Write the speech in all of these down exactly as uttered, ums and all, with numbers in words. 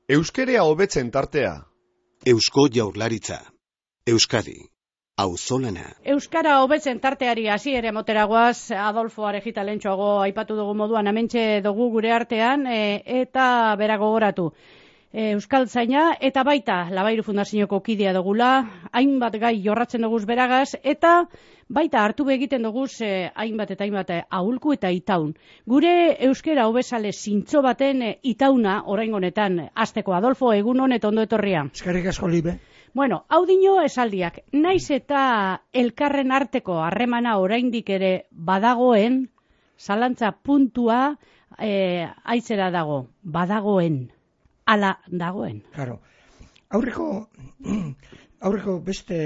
Euskerea hobetzen tartea. Eusko Jaurlaritza. Euskadi. Auzolana. Euskara hobetzen tarteari hasi ere moteragoaz, Adolfo Arejita lentsuago aipatu dugu moduan hementxe dugu gure artean, e, eta bera gogoratu. E, Euskaltzaina eta baita Labairu Fundazioko kidea dugula, hainbat gai jorratzen duguz beragaz, eta baita hartu egiten duguz e, hainbat eta hainbat ahulku eta itaun. Gure euskera hobesale zintzo baten e, itauna oraingo honetan hasteko. Adolfo, egun hon eta ondo etorria. Eskerrik asko, Libe. Bueno, hau dino esaldiak, naiz eta elkarren arteko harremana oraindik ere badagoen, zalantza puntua e, aitzera dago, badagoen, ala dagoen. Claro. Aurreko, aurreko beste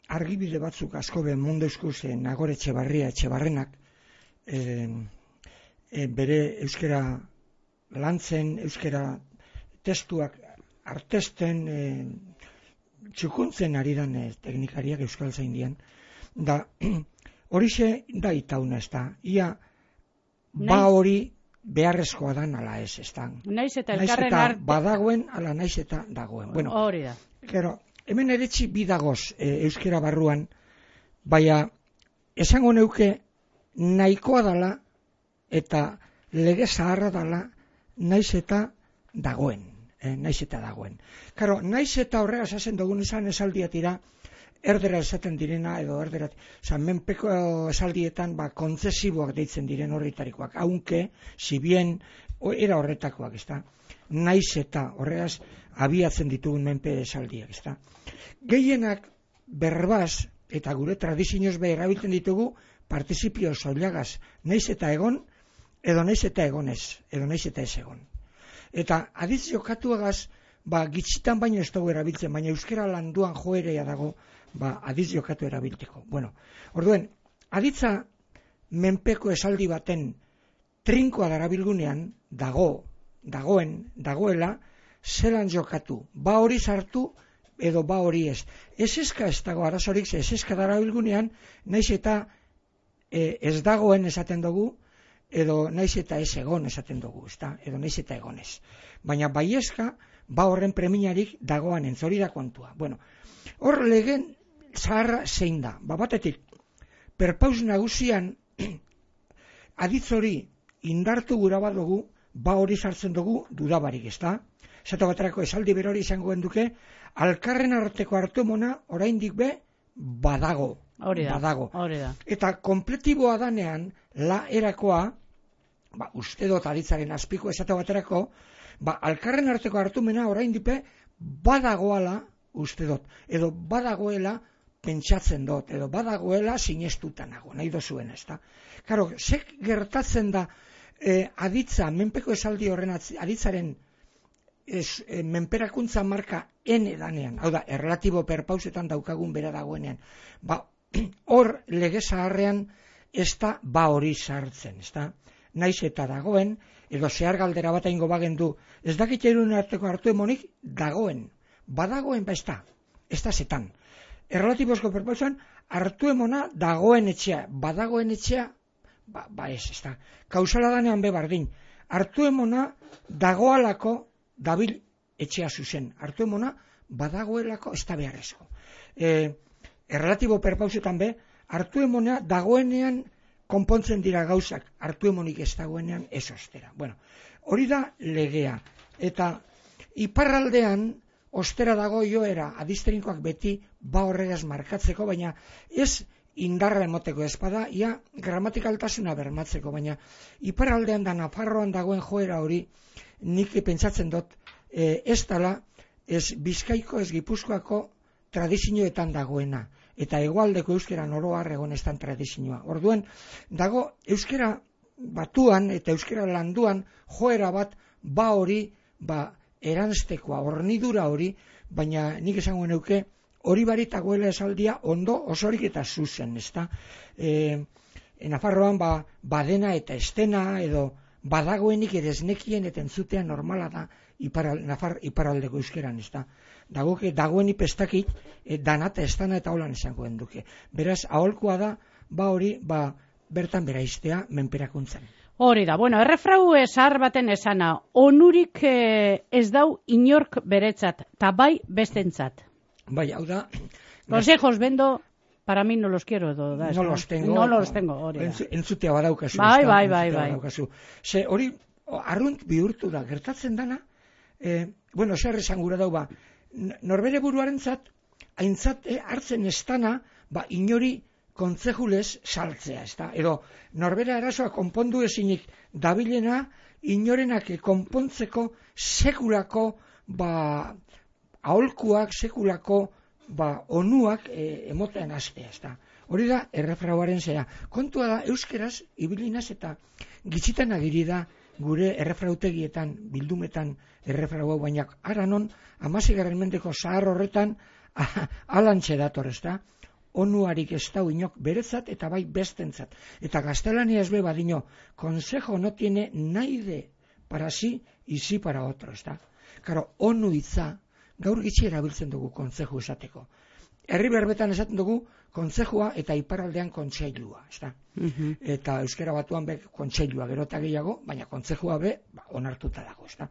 argibide batzuk asko be mundu eskuse Nagore Etxebarria Etxebarrenak e, e, bere euskera lantzen, euskera testuak artesten, e, txukuntzen ari dan e, teknikariak Euskaltzaindian, da horixe da itauna ez da, ia ba hori beharrezkoa dan ala ez, ez da. Naiz eta Naiz elkarren eta arte... badagoen, ala naiz eta dagoen. Bueno, hori da. Gero, hemen eretzi bidagoz e, euskera barruan, baina esango neuke nahikoa dala eta lege zaharra dala naiz eta dagoen. Eh, naiz eta dagoen. Karo, naiz eta horrega esasen dugun izan esaldiatira, erdera esaten direna, edo erdera, oza, menpeko esaldietan, ba, kontzesiboak deitzen diren horretarikoak, aunque, si bien, era horretakoak, ez da, naiz eta horregaz abiatzen ditugun menpe esaldiak, ez da. Gehienak berbaz, eta gure tradizioz be erabiltzen ditugu, participio soilagaz, naiz eta egon, edo naiz eta egonez, edo naiz eta ez egon. Eta aditz jokatuagaz, ba, gitzitan baino ez dugu erabiltzen, baina euskera landuan joerea dago, ba, aditz jokatu erabilteko. Bueno, orduen, aditza menpeko esaldi baten trinkoa darabilgunean, dago, dagoen, dagoela, zelan jokatu, ba hori sartu, edo ba hori ez. Ez eska ez dago arazorik, ez eska darabilgunean, naiz eta e, ez dagoen esaten dugu, edo naiz eta ez egon esaten dugu, ezta? Edo naiz eta egonez. Baina baiezka, ba horren preminarik dagoan entzori da kontua. Bueno, hor legen zaharra zein da. Ba batetik, perpaus nagusian aditzori indartu gura bat dugu, ba hori sartzen dugu dudabarik, ezta? Zata baterako esaldi berori izango duke, alkarren arteko hartumona oraindik be badago. Hori da, badago. Hori da. Eta kompletiboa danean, la erakoa, ba, uste dut aditzaren azpiko esate baterako, ba, alkarren arteko hartumena orain dipe badagoala uste dut, edo badagoela pentsatzen dut, edo badagoela sinestuta nago, nahi dozuen ez da. Karo, zek gertatzen da eh, aditza, menpeko esaldi horren aditzaren ez, eh, menperakuntza marka ene danean, hau da, erlatibo perpausetan daukagun bera dagoenean, ba, hor lege zaharrean ez da ba hori sartzen, ez da? Naiz eta dagoen, edo zehar galdera bat aingo bagendu, ez dakit erun arteko hartu emonik, dagoen, badagoen ba ez da, ez da zetan. Erlatibozko perpausan, hartu emona dagoen etxea, badagoen etxea, ba, ba ez, ez da. Kausala danean be bardin, hartu emona dagoalako dabil etxea zuzen, hartu emona badagoelako ez da beharrezko. E, Erlatibo perpausetan be, hartu emona dagoenean konpontzen dira gauzak, hartu emonik ez dagoenean ez ostera. Bueno, hori da legea. Eta iparraldean ostera dago joera, adizterinkoak beti ba horregaz markatzeko, baina ez indarra emoteko ezpada, ia gramatikaltasuna bermatzeko, baina iparraldean da Nafarroan dagoen joera hori, nik pentsatzen dut, e, ez dala, ez Bizkaiko, ez Gipuzkoako tradizioetan dagoena. Eta hegoaldeko euskera noroar egonestan tradizioa. Orduen, dago euskera batuan eta euskera landuan joera bat ba hori, ba eranztekoa, hornidura hori, baina nik esango neuke hori baritagoela esaldia ondo osorik eta zuzen, ezta? E, Nafarroan ba, badena eta estena edo badagoenik ere esnekien eta entzutea normala da iparal, Nafar iparaldeko euskeran, ezta? Dagoke dagoeni pestakit e, danata estana eta holan esango duke. Beraz, aholkoa da, ba hori, ba bertan beraiztea menperakuntzan. Hori da, bueno, errefrau esar baten esana, onurik eh, ez dau inork beretzat, eta bai bestentzat. Bai, hau da... Consejos vendo, para mí no los quiero. Do, da, no los tengo. No los tengo, hori da. Entzu, entzutea badaukazu. Bai, bai, bai, bai. Ze hori, arrunt bihurtu da, gertatzen dana, eh, bueno, zer esan gura dau, ba, norbere buruarentzat, aintzat eh, hartzen estana, ba, inori kontzejulez saltzea, ezta? Edo, norbera erasoa konpondu ezinik dabilena, inorenak konpontzeko sekulako, ba, aholkuak, sekulako, ba, onuak e, emotean hastea, ezta? Hori da, errefrauaren zera. Kontua da, euskeraz, ibilinaz eta gitzitan agiri da gure errefrautegietan, bildumetan errefrau hau, baina aranon, amazigarren mendeko zahar horretan, alantxe dator, ezta? Onuarik ez dau inok beretzat eta bai bestentzat. Eta gaztelania ez be badino, consejo no tiene naide para sí y sí para otro, ezta? Karo, onu hitza, gaur gitxi erabiltzen dugu kontzeju esateko. Herri berbetan esaten dugu kontzejua eta iparraldean kontseilua, ezta? Uh-huh. Eta euskera batuan be kontseilua gero eta gehiago, baina kontzejua be ba, onartuta dago, ezta?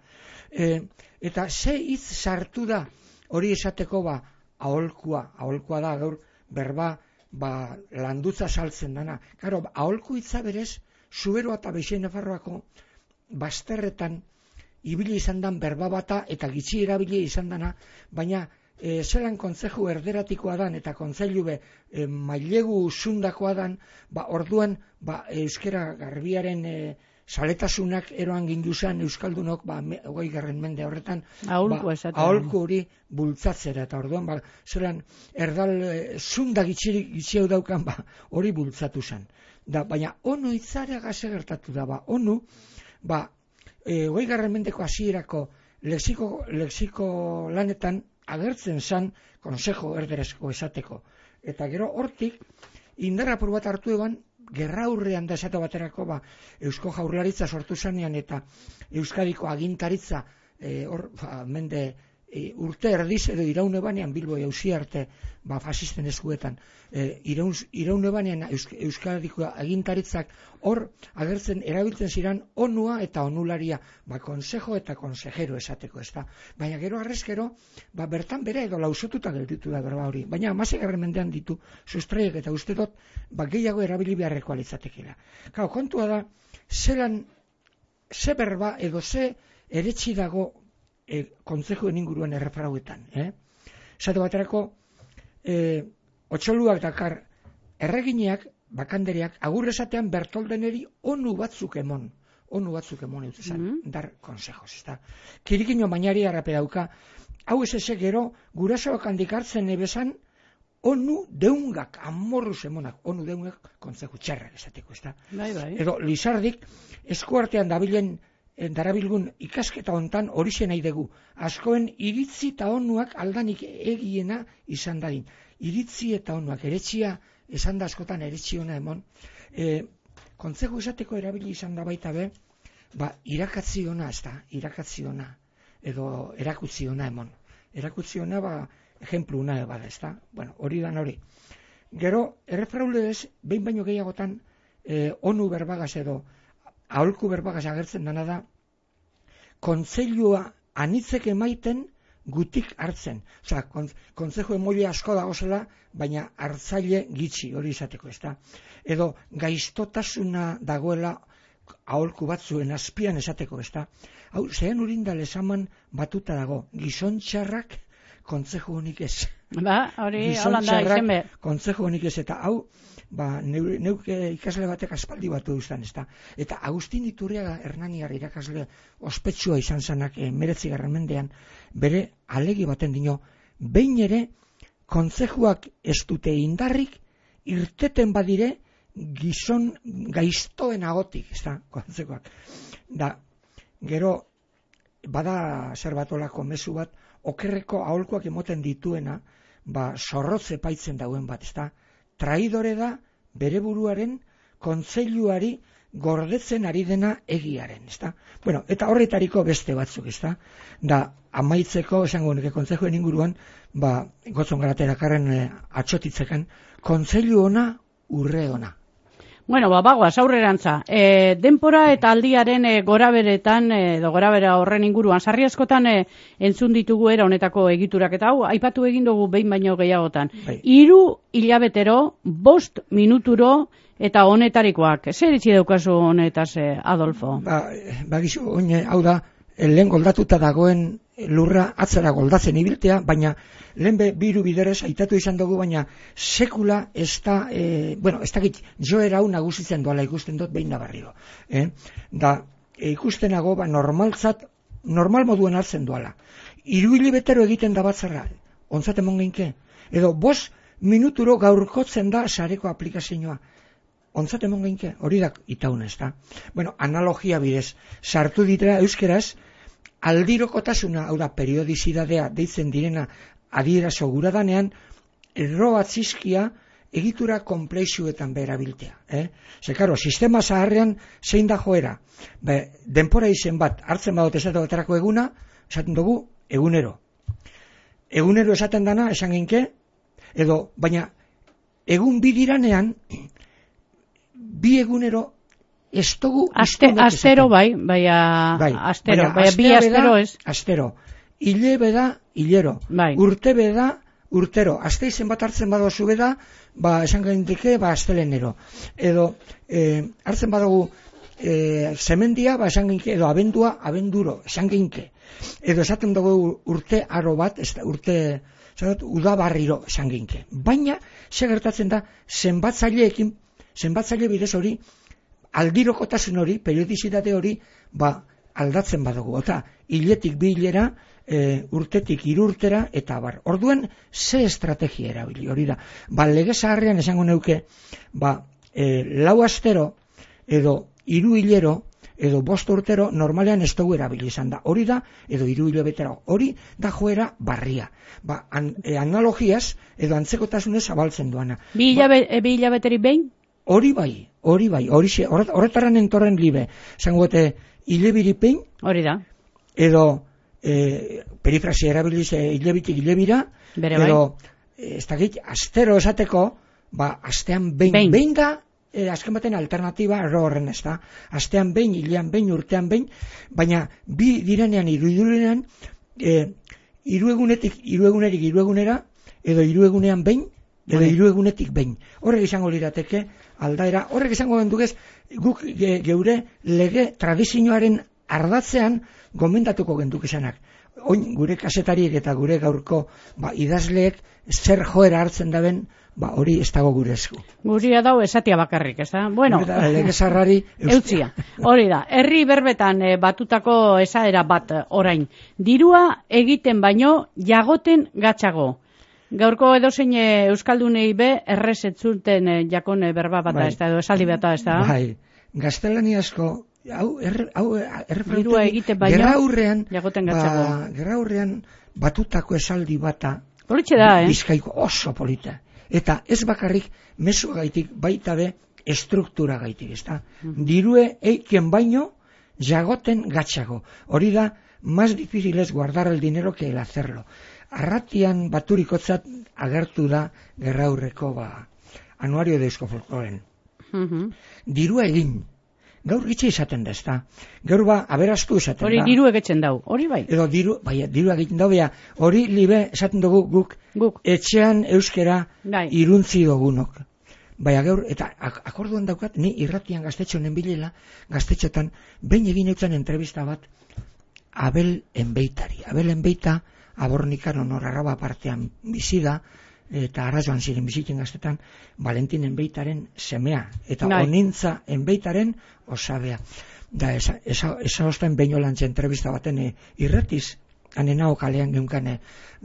E, eta ze hitz sartu da hori esateko ba aholkua, aholkua da gaur berba ba landutza saltzen dana. Claro, aholku hitza berez Zuberoa eta Beixen Nafarroako bazterretan ibili izan dan berba bata eta gitxi erabili izan dana, baina e, zelan kontzeju erderatikoa dan eta kontzeilu be e, mailegu zundakoa dan, ba, orduan ba, euskera garbiaren e, saletasunak eroan ginduzan euskaldunok ba, hogei garren mende horretan aholku ba, aholku hori bultzatzera eta orduan ba, zelan erdal e, zunda gitxi hau daukan ba, hori bultzatu zen. Da, baina onu hitzara gaze gertatu da, ba, onu ba, hogei garren mendeko hasierako lexiko, lexiko lanetan agertzen zan konsejo erderezko esateko. Eta gero hortik indarra apur bat hartu eban gerraurrean da esate baterako ba, Eusko Jaurlaritza sortu zanean eta Euskadiko agintaritza e, or, ba, mende e, urte erdiz edo iraune banean Bilbo jauzi arte ba, fasisten eskuetan e, iraune banean Eusk, Euskadiko agintaritzak hor agertzen erabiltzen ziren onua eta onularia ba, konsejo eta konsejero esateko, ezta? Baina gero arrezkero ba, bertan bere edo lausotuta gelditu da berba hori, baina amasegarren mendean ditu sustraiek eta uste dut ba, gehiago erabili beharreko alitzatekela. Kau, kontua da zelan ze berba edo ze eretsi dago e, kontzejuen inguruan errefrauetan, eh? Zate baterako e, otxoluak dakar erregineak, bakanderiak, agur esatean Bertoldeneri onu batzuk emon, onu batzuk emon eutuzan, mm-hmm. dar konsejos, ezta? Kirikino bainari harrape dauka, hau ez eze gero, gurasoak handik hartzen ebesan, onu deungak, amorruz emonak, onu deungak kontzeju txarrak esateko, ezta? Bai, bai. Edo Lizardik, eskuartean dabilen darabilgun ikasketa hontan horixe nahi dugu. Askoen iritzi eta onuak aldanik egiena izan dadin. Iritzi eta onuak, eretxia, esan da askotan eretxi ona emon. E, kontzeju esateko erabili izan da baita be, ba, irakatzi ona, ez da, irakatzi ona, edo erakutzi ona emon. Erakutzi ona, ba, ejemplu una bada, ez da. Bueno, hori dan hori. Gero, errefraule ez, behin baino gehiagotan, e, onu berbagaz edo, aholku berbagaz agertzen dana da, kontzeilua anitzek emaiten gutik hartzen. Osa, kontzeju emoile asko dagozela, baina hartzaile gitxi hori izateko, ezta? Edo gaiztotasuna dagoela aholku batzuen azpian esateko, ezta? Hau, zehen urindal esaman batuta dago, gizontxarrak kontzeju honik ez. Ba, hori holanda izen be. Kontzeju honik ez, eta hau, ba, neuke ikasle batek aspaldi batu duztan, ezta? Eta Agustin Iturriaga Hernaniar irakasle ospetsua izan zanak e, meretzi garren mendean, bere alegi baten dino, behin ere kontzejuak ez dute indarrik irteten badire gizon gaiztoen agotik, ezta, kontzejuak. Da, gero, bada zer batolako mezu bat, okerreko aholkuak emoten dituena, ba, zorrotze paitzen dauen bat, ezta? Traidore da bere buruaren kontseiluari gordetzen ari dena egiaren, ezta? Bueno, eta horretariko beste batzuk, ezta? Da, amaitzeko, esango neke kontzejuen inguruan, ba, gotzon garaterakarren e, atxotitzekan, kontseilu ona, urre ona. Bueno, ba, bagoaz, aurrerantza. E, denpora eta aldiaren e, goraberetan, edo gorabera horren inguruan, sarri askotan e, entzun ditugu era honetako egiturak, eta hau, aipatu egin dugu behin baino gehiagotan. Bai. Hiru hilabetero, bost minuturo, eta honetarikoak. Zer itxi daukazu honetaz, e, Adolfo? Ba, bagizu, oine, hau da, lehen goldatuta dagoen lurra atzera goldatzen ibiltea, baina lehen be, biru biderez aitatu izan dugu, baina sekula ez da, e, bueno, ez dakit, joera hau nagusitzen duela ikusten dut behin nabarriro. Eh? Da, e, ikustenago, ba, normaltzat, normal moduen hartzen duela. Hiru hilabetero egiten da batzarra, ontzat emon geinke. Edo, bost minuturo gaurkotzen da sareko aplikazioa. Ontzat emon geinke, hori da itaun ez da. Bueno, analogia bidez, sartu ditera euskeraz, aldirokotasuna, hau da, periodizidadea deitzen direna adierazo gura danean, erro batzizkia egitura komplexuetan berabiltea. Eh? Ze, karo, sistema zaharrean zein da joera. Be, denpora izen bat, hartzen badot esatu baterako eguna, esaten dugu, egunero. Egunero esaten dana, esan genke, edo, baina, egun bidiranean, bi egunero, ez dugu... Aste, astero bai, baina bai, astero, baina bi astero ez. Astero. Ile beda, hilero. Bai. Urte beda, urtero. Aste izen bat hartzen badozu beda, ba, esan gaindike, ba, astelenero. Edo, eh, hartzen badugu eh, zemendia, ba, esan gaindike, edo abendua, abenduro, esan gaindike. Edo esaten dugu urte aro bat, ez da, urte... Zagot, udabarriro esan gaindike. Baina, ze gertatzen da, zenbatzaileekin, zenbatzaile bidez hori, aldirokotasun hori, periodizitate hori, ba, aldatzen badugu. Eta, hiletik bi hilera, e, urtetik hiru urtera, eta bar. Orduen, ze estrategia erabili, hori da. Ba, lege zaharrean esango neuke, ba, e, lau astero, edo hiru hilero, edo bost urtero, normalean ez dugu erabili izan da. Hori da, edo hiru hilabetero. Hori da joera barria. Ba, an, e, analogiaz, edo antzekotasunez zabaltzen duana. Bi hilabeteri behin? Hori bai, hori bai, hori xe, horretaran entorren libe, zangoete, hilebiripein, hori da, edo e, perifrasia erabiliz e, hilebitik hilebira, bere edo, bai. e, ez dakit, astero esateko, ba, astean behin, behin, behin da, e, azken baten alternatiba erro horren ez da, astean behin, hilean behin, urtean behin, baina bi direnean, hiru direnean, e, hiru egunetik, hiru egunerik, hiru egunera, edo hiru egunean behin, edo hiru egunetik behin. Horrek izango lirateke aldaera, horrek izango gendugez guk ge, geure lege tradizioaren ardatzean gomendatuko genduk izanak. Oin gure kasetariek eta gure gaurko ba, idazleek zer joera hartzen daben, ba, hori ez dago gure esku. Guria dau esatia bakarrik, ez da? Bueno, da, lege zarrari eutzia. Hori da, herri berbetan e, batutako esaera bat orain. Dirua egiten baino jagoten gatzago. Gaurko edozein euskaldunei be errez etzuten jakon berba bata, bai. Ez da, edo esaldi bata, ez da? Bai, gaztelaniazko, hau, er, hau, dirua egiten baino, gerraurrean, jagoten gatzago. Ba, gerraurrean batutako esaldi bata, politxe da, eh? Bizkaiko oso polita. Eta ez bakarrik mezu gaitik, baita be, estruktura gaitik, ez da? Mm-hmm. Dirue eiken baino, jagoten gatzago. Hori da, más difícil es guardar el dinero que el hacerlo. Arratian baturikotzat agertu da gerraurreko ba, anuario de eusko folkloren. Uh-huh. Dirua egin. Gaur gitxe izaten da, ez da. Gaur ba, aberastu izaten hori da. Hori diru egetzen dau, hori bai. Edo diru, bai, diru egiten dau, bea, hori libe esaten dugu guk, guk. Etxean euskera bai. Iruntzi dugunok. Baina gaur, eta ak akorduan daukat, ni irratian gaztetxo honen bilela, gaztetxotan, behin egin eutzen entrevista bat, Abel Enbeitari. Abel Enbeita, Abornikan honor arraba partean bizi da, eta arrazoan ziren bizitzen gaztetan, Valentin Enbeitaren semea, eta Nai. Onintza Enbeitaren osabea. Da, esa, esa, esa osten behin olantze entrevista baten e, irratiz, hanenao kalean geunkane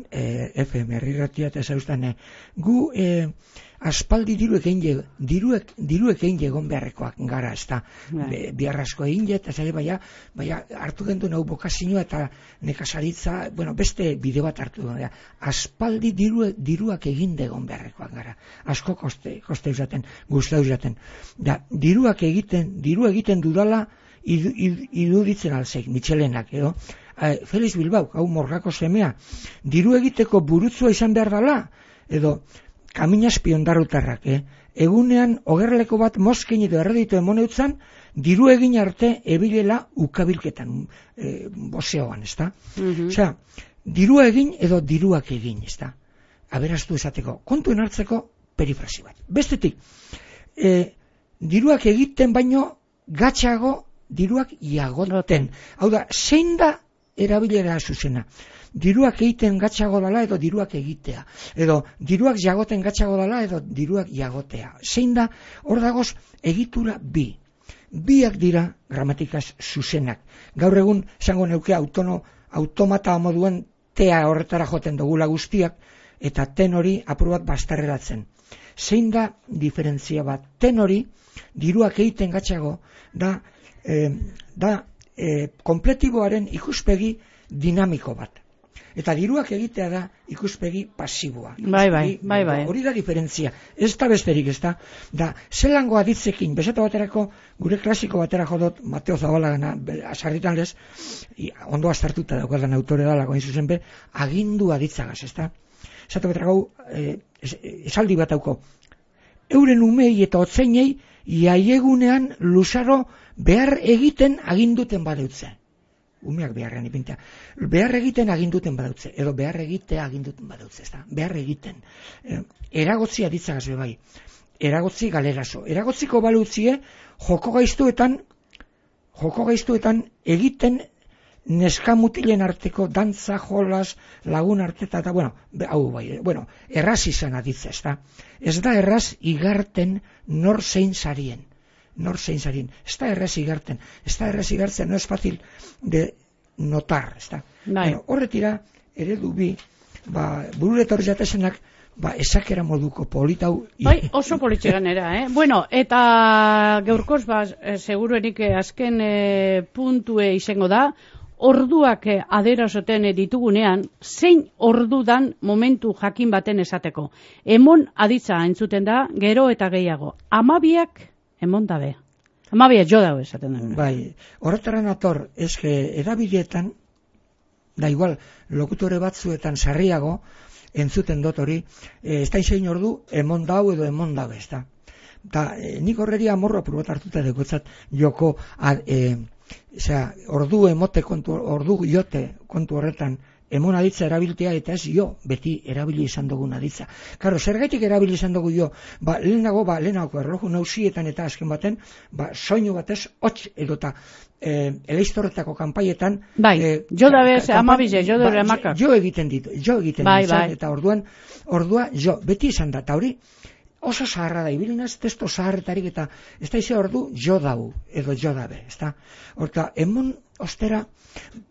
e, F M irratia, eta zauztan, e, gu e, aspaldi diruek egin diruek, diruek egin egon beharrekoak gara, ez da, biarrasko egin eta zare, baina, baina hartu gendu nahu bokazioa eta nekazaritza, bueno, beste bide bat hartu gendu, aspaldi diru, diruak egin egon beharrekoak gara, asko koste, koste usaten, guzta usaten, da, diruak egiten, diru egiten dudala, iruditzen alzeik, Michelenak, edo, e, Felix Bilbao, hau morgako semea, diru egiteko burutzua izan behar dala, edo, Kaminazpi ondarrutarrak, eh? Egunean ogerleko bat mozkin edo erreditu emoneutzan, diru egin arte ebilela ukabilketan, e, bozeoan, ez da? Mhm. Osea, dirua egin edo diruak egin, ez da? Aberastu esateko, kontuen hartzeko perifrasi bat. Bestetik, e, diruak egiten baino gatxago diruak iagoten. Hau da, zein da erabilera zuzena? Diruak egiten gatxago dala edo diruak egitea. Edo diruak jagoten gatxago dala edo diruak jagotea. Zein da, hor dagoz, egitura bi. Biak dira gramatikaz zuzenak. Gaur egun, esango neuke autono, automata moduen tea horretara joten dugula guztiak, eta ten hori apur bat bastarreratzen. Zein da diferentzia bat? Ten hori, diruak egiten gatxago, da, eh, da eh, kompletiboaren ikuspegi dinamiko bat. Eta diruak egitea da ikuspegi pasiboa. Bai, bai, bai, bai. Hori da diferentzia. Ez da besterik, ez da. Da, zelango aditzekin, bezata baterako, gure klasiko batera jodot, Mateo Zabalagana, asarritan lez, ondo astartuta daukadan autore da, lagoin zuzen be, agindu aditzagaz, ez da. Zata baterako, eh, esaldi bat hauko, euren umei eta otzeinei, iaiegunean luzaro behar egiten aginduten badeutze. Umeak beharrean ipintea. Behar egiten aginduten badautze, edo behar egitea aginduten badautze, ez da? Behar egiten. E, eragotzi aditzagaz bai. Eragotzi galerazo. Eragotziko balutzie, joko gaiztuetan, joko gaiztuetan egiten neskamutilen arteko dantza, jolas, lagun arteta, eta, bueno, hau bai, bueno, erraz izan aditza, ez da? Ez da erraz igarten nor zein sarien. Nor zein zarien. Ez da erraz igarten. Ez da erraz igartzen, no es fácil de notar, ez da. Bueno, horretira, eredu bi, ba, bururetor jatesenak, ba, esakera moduko politau. Bai, oso politxegan era, eh? Bueno, eta gaurkoz, ba, seguruenik azken eh, puntue izango da, orduak eh, aderazoten ditugunean, zein ordudan momentu jakin baten esateko. Emon aditza entzuten da, gero eta gehiago. Amabiak emon dabe. Amabia jo dago esaten da. Bai, horretaran ator, eske edabideetan, da igual, lokutore batzuetan sarriago, entzuten dut hori, e, ez da izein ordu, emon dau edo emon dabe, ez da. Da, e, nik horreri amorro apur bat hartuta dekotzat joko, ad, e, osea, ordu emote kontu, ordu jote kontu horretan, emon aditza erabiltea eta ez jo, beti erabili izan dugun aditza. Karo, zergaitik erabili izan dugu jo, ba, lehenago, ba, lehenako erloju nausietan eta azken baten, ba, soinu batez, hotz edota, e, eleiztorretako kanpaietan, bai, e, jo dabe, amabize, jo dabe amakak. Jo egiten ditu, jo egiten bai, izan, bai. Eta orduan, ordua, jo, beti izan da, eta hori, oso zaharra da, ibilinaz, testo zaharretarik eta ez da ize ordu jo dau, edo jo dabe, ez da. Horta, emon ostera,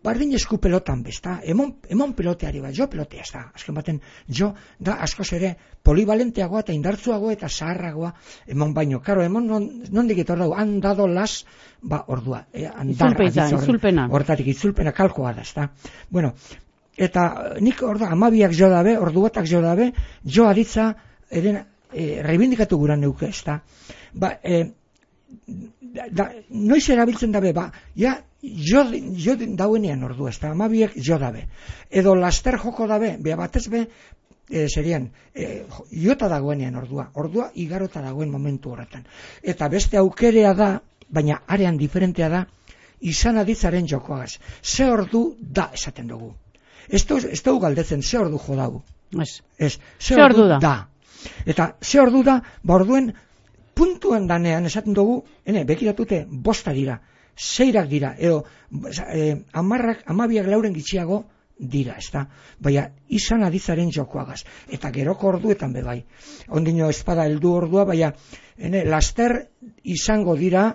bardin esku pelotan bezta, emon, emon peloteari bat, jo pelotea, ez da, azken baten, jo da askoz ere polivalenteagoa eta indartzuagoa eta zaharragoa emon baino. Karo, emon non, nondik etor dau, handado las, ba, ordua. Eh, andar, Itzulpena, itzulpena. Hortatik, itzulpena kalkoa da, ez da. Bueno, eta nik orda, amabiak jo dabe, ordu batak jo dabe, jo aditza, eren, e, reibindikatu gura neuke, ez da. Ba, e, da, da, noiz erabiltzen dabe, ba, ja, jo, jo dauenean ordu, ez da, amabiek jo dabe. Edo laster joko dabe, beha batez be, e, serian, e, jota dagoenean ordua, ordua igarota dagoen momentu horretan. Eta beste aukerea da, baina arean diferentea da, izan aditzaren jokoagaz. Ze ordu da esaten dugu. Ez dugu galdetzen, ze ordu jo dago. Ez. Ez, ze, ze ordu da. da. Eta ze ordu da, ba orduen puntuan danean esaten dugu, ene, bekiratute bosta dira, zeirak dira, edo eh, amarrak, amabiak lauren gitxiago dira, ez da? Baina izan aditzaren jokoagaz. Eta geroko orduetan bebai. Ondino espada heldu ordua, baina ene, laster izango dira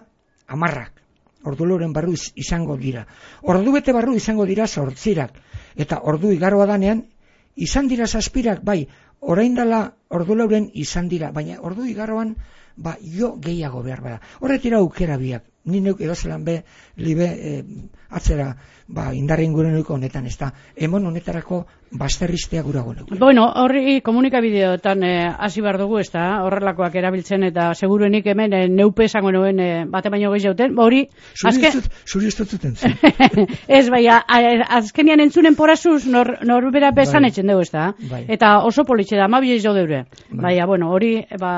amarrak. Ordu lauren barru izango dira. Ordu bete barru izango dira sortzirak. Eta ordu igaroa danean, izan dira zazpirak, bai, orain dela ordu lauren izan dira, baina ordu igaroan, ba, jo gehiago behar bada. Horretira aukera biak ni neuk edozelan be, libe, e, atzera, ba, indarren gure neuk honetan, ez da, emon honetarako basterriztea gurago neuk. Bueno, horri komunikabideotan hasi eh, behar dugu, ez da, horrelakoak erabiltzen, eta seguruenik hemen eh, neupe esango nuen eh, bate baino gehi jauten, hori... Zuri ez dut zuten zen. Ez, bai, a, a, azkenian entzunen porazuz nor, nor bera bezan Bai. etxen dugu, ez da, Bai. eta oso politxe da, ma bilez jo deure. Bai. Baina, bueno, hori, ba,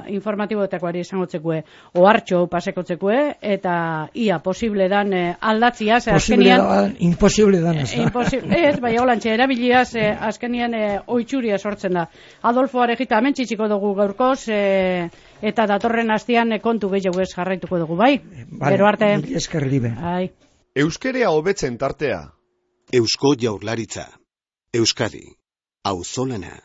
informatiboetakoari esangotzekue, ohartxo pasekotzekue, eta ia posible dan eh, aldatzia, ze Posible azkenian... da, imposible dan, ez da. Imposible, ez, bai, holantxe, erabiliaz, eh, azkenian eh, oitxuria sortzen da. Adolfo Arejita hemen txitsiko dugu gaurkoz, eh, eta datorren astean eh, kontu gehiago ez jarraituko dugu, bai? Vale, Gero arte. mil esker libe. Ai. Euskerea hobetzen tartea. Eusko Jaurlaritza. Euskadi. Auzolana.